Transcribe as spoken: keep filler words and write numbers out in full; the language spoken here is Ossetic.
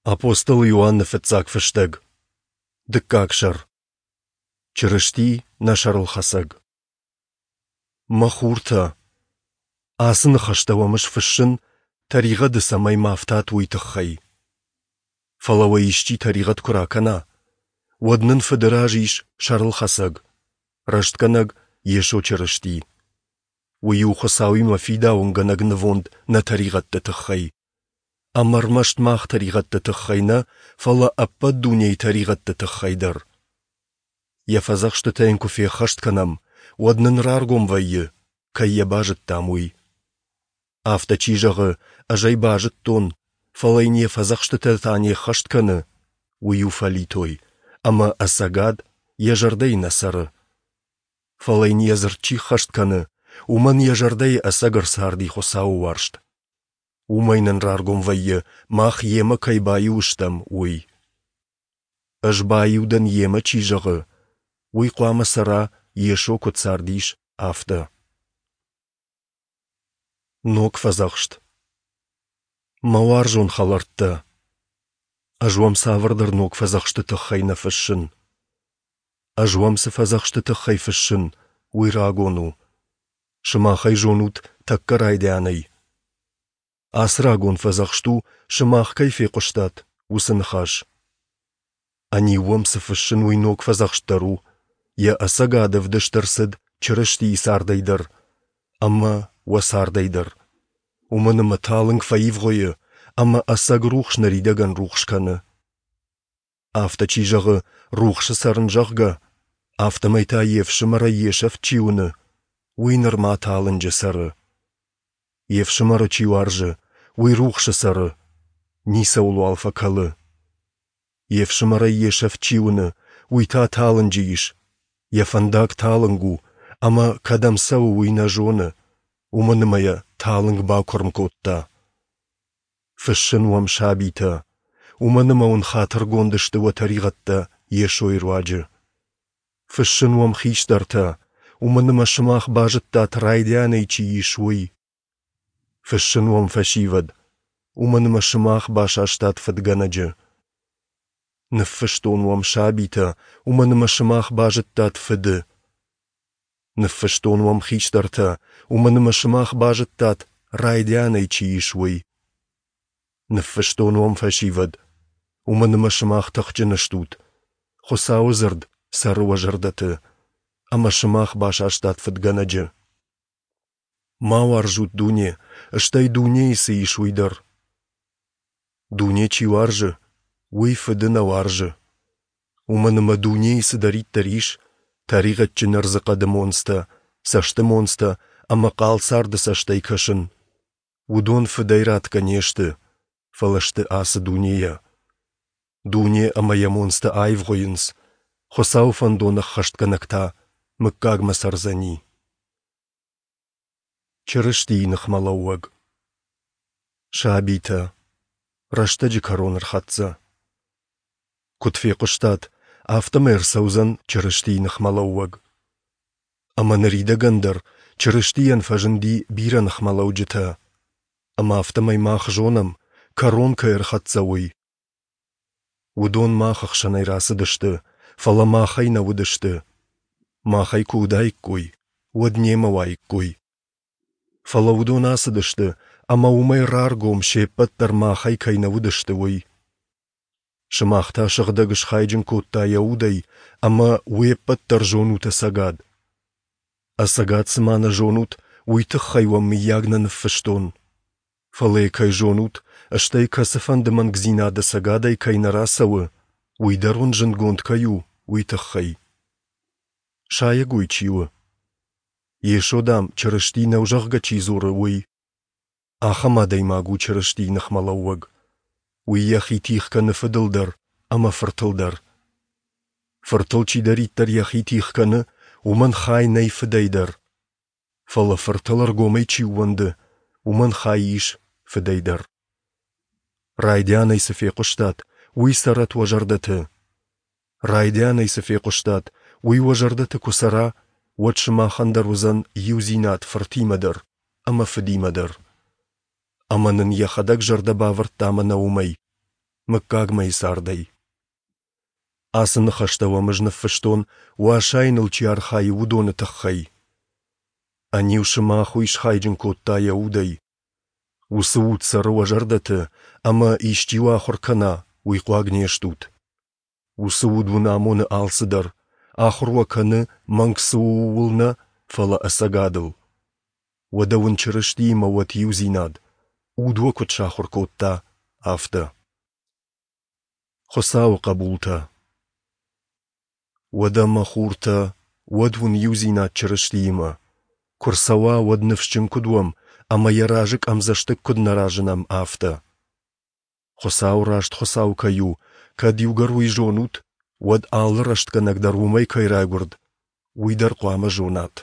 Апостол Иоанны фыццаг фыстӕг. Дыккаг сӕр. Чырысти нӕ сӕрылхӕцӕг. Мӕ хуртӕ, ацы ныхӕстӕ уӕм ӕз фыссын, тӕригъӕды цӕмӕй ма фтат, уый тыххӕй. Фӕлӕ уӕ исчи тӕригъӕд куы ракӕна, уӕд нын Фыды раз ис сӕрылхӕцӕг, рӕстгӕнӕг Йесо Чырысти. Уый у Хуыцауимӕ фидауынгӕнӕг нывонд нӕ тӕригъӕдты тыххӕй. Ӕмӕ ӕрмӕст мах тӕригъӕдты тыххӕй нӕ, фӕлӕ ӕппӕт дунейы тӕригъӕдты тыххӕй дӕр. Йӕ фӕдзӕхстытӕ йын куы феххӕст кӕнӕм, уӕд нын раргом вӕййы, кӕй йӕ базыдтам, уый. Афтӕ чи зӕгъы, ӕз ӕй базыдтон, фӕлӕ йын йӕ фӕдзӕхстытӕ та не ххӕст кӕны, уый у фӕлитой, ӕмӕ ӕцӕгад йӕ зӕрдӕйы нӕ цӕры. Фӕлӕ йын йӕ дзырд чи ххӕст кӕны, уымӕн йӕ зӕрдӕйы ӕцӕг ӕрцарди Хуыцауы уарзт. Уымӕй нын раргом вӕййы, мах Йемӕ кӕй баиу стӕм, уый. Ӕз баиу дӕн Йемӕ чи зӕгъы, уый хъуамӕ цӕра, Йесо куыд цардис, афтӕ. Ног фӕдзӕхст. Мӕ уарзон хӕлӕрттӕ, ӕз уӕм цавӕрдӕр ног фӕдзӕхсты тыххӕй нӕ фыссын. Ӕз уӕм цы фӕдзӕхсты тыххӕй фыссын, уый рагон у. Сымах ӕй зонут тӕккӕ райдианӕй. Ацы рагон фӕдзӕхст у, сымах кӕй фехъуыстат, уыцы ныхас. Ӕниу уӕм цы фыссын, уый ног фӕдзӕхст дӕр у, йӕ ӕцӕгад ӕвдыст ӕрцыд Чырыстийы цардӕй дӕр ӕмӕ уӕ цардӕй дӕр. Уымӕн ӕмӕ талынг фӕивгъуыйы, ӕмӕ ӕцӕг рухс ныридӕгӕн рухс кӕны. Афтӕ чи зӕгъы, рухсы цӕрын, зӕгъгӕ, афтӕмӕй та йе фсымӕрӕй йе сӕфт чи уыны, уый нырма талынджы цӕры. Йе фсымӕры чи уарзы, уый рухсы цӕры, ницӕуылуал фӕкӕлы. Йе фсымӕрӕй йе сӕфт чи уыны, уый та талынджы ис, йӕ фӕндаг талынг у, ӕмӕ кӕдӕм цӕуы, уый нӕ зоны, уымӕн ӕмӕ йӕ талынг бакуырм кодта. Фыссын уӕм, сабитӕ, уымӕн ӕмӕ уын хатыргонд сты уӕ тӕригъӕдтӕ Йесойы руаджы. Фыссын уӕм, хистӕртӕ, уымӕн ӕмӕ сымах базыдтат, райдианӕй чи ис, уый. Фыссын уӕм, фӕсивӕд, уымӕн ӕмӕ сымах басастат фыдгӕнӕджы. Ныффыстон уӕм, сабитӕ, уымӕн ӕмӕ сымах базыдтат Фыды. Ныффыстон уӕм, хистӕртӕ, уымӕн ӕмӕ сымах базыдтат, райдианӕй чи ис, уый. Ныффыстон уӕм, фӕсивӕд, уымӕн ӕмӕ сымах тыхджын стут, Хуыцауы дзырд цӕры уӕ зӕрдӕты, ӕмӕ сымах басастат фыдгӕнӕджы. Ма уарзут дуне, стӕй дунейы цы ис, уый дӕр. Дуне чи уарзы, уый Фыды нӕ уарзы. Уымӕн ӕмӕ дунейы цыдӕриддӕр ис, тӕригъӕдджын ӕрдзыхъӕды монцтӕ, цӕсты монцтӕ ӕмӕ хъал царды цӕстӕй кӕсын, уыдон Фыдӕй ратгӕ не сты, фӕлӕ сты ацы дунейӕ. Дуне ӕмӕ йӕ монцтӕ аивгъуыйынц, Хуыцауы фӕндон ӕххӕстгӕнӕг та мыггагмӕ цӕрдзӕни. Чырыстийы ныхмӕлӕууӕг. Сабитӕ, рӕстӕджы кӕрон ӕрхӕццӕ. Куыд фехъуыстат, афтӕмӕй ӕрцӕудзӕн Чырыстийы ныхмӕлӕууӕг. Ӕмӕ ныридӕгӕн дӕр Чырыстийӕн фӕзынди бирӕ ныхмӕлӕуджытӕ, ӕмӕ афтӕмӕй мах зонӕм, кӕрон кӕй ӕрхӕццӕ, уый. Уыдон мах ӕхсӕнӕй рацыдысты, фӕлӕ махӕй нӕ уыдысты. Махӕй куы уыдаиккой, уӕд немӕ уаиккой. Фӕлӕ уыдон ацыдысты, ӕмӕ уымӕй раргом, се ппӕт дӕр махӕй кӕй нӕ уыдысты, уый. Сымах та Сыгъдӕг схайджын кодта йӕ удӕй, ӕмӕ уе ппӕт дӕр зонут ӕцӕгад. Ӕцӕгад цыма нӕ зонут, уый тыххӕй уӕм мыййаг нӕ ныффыстон. Фӕлӕ йӕ кӕй зонут, стӕй кӕцыфӕнды мӕнгдзинад ӕцӕгадӕй кӕй нӕ рацӕуы, уый дӕр уын зындгонд кӕй у, уый тыххӕй. Сайӕгой чи у? Йесо, дам, Чырысти нӕу, зӕгъгӕ, чи дзуры, уый. Ахӕм адӕймаг у Чырыстийы ныхмӕлӕууӕг. Уый йӕхи тигъ кӕны Фыдыл дӕр ӕмӕ Фыртыл дӕр. Фыртыл чидӕриддӕр йӕхи тигъ кӕны, уымӕн хай нӕй Фыдӕй дӕр. Фӕлӕ Фыртыл ӕргомӕй чи ууӕнды, уымӕн хай ис Фыдӕй дӕр. Райдианӕй цы фехъуыстат, уый цӕрӕт уӕ зӕрдӕты. Райдианӕй цы фехъуыстат, уый уӕ зӕрдӕты куы цӕра, уӕд сымахӕн дӕр уыдзӕн иудзинад Фыртимӕ дӕр ӕмӕ Фыдимӕ дӕр. Ӕмӕ нын йӕхӕдӕг зӕрдӕ бавӕрдта мӕнӕ уымӕй, мыггагмӕйы цардӕй. Ацы ныхӕстӕ уӕм ӕз ныффыстон, уӕ асайыныл чи архайы, уыдоны тыххӕй. Ӕниу сымах уый схайджын кодта йӕ удӕй. Уыцы уд цӕры уӕ зӕрдӕты, ӕмӕ, исчи уӕ ахуыр кӕна, уый хъуаг не стут. Уыцы уд уын амоны алцыдӕр, ахуыр уӕ кӕны, мӕнг цы у, ууыл нӕ, фӕлӕ ӕцӕгадыл. Уӕдӕ уын Чырыстиимӕ уӕт иудзинад, уд уӕ куыд сахуыр кодта, афтӕ. Хуыцауы хъӕбултӕ. Уӕдӕ, мӕ хуртӕ, уӕд уын иудзинад Чырыстиимӕ. Куы рцӕуа, уӕд ныфсджын куыд уӕм ӕмӕ йӕ разы къӕмдзӕстыг куыд нӕ разынӕм, афтӕ. Хуыцау раст Хуыцау кӕй у, кӕд иугӕр уый зонут, уӕд алы рӕстгӕнӕг дӕр уымӕй кӕй райгуырд, уый дӕр хъуамӕ зонат.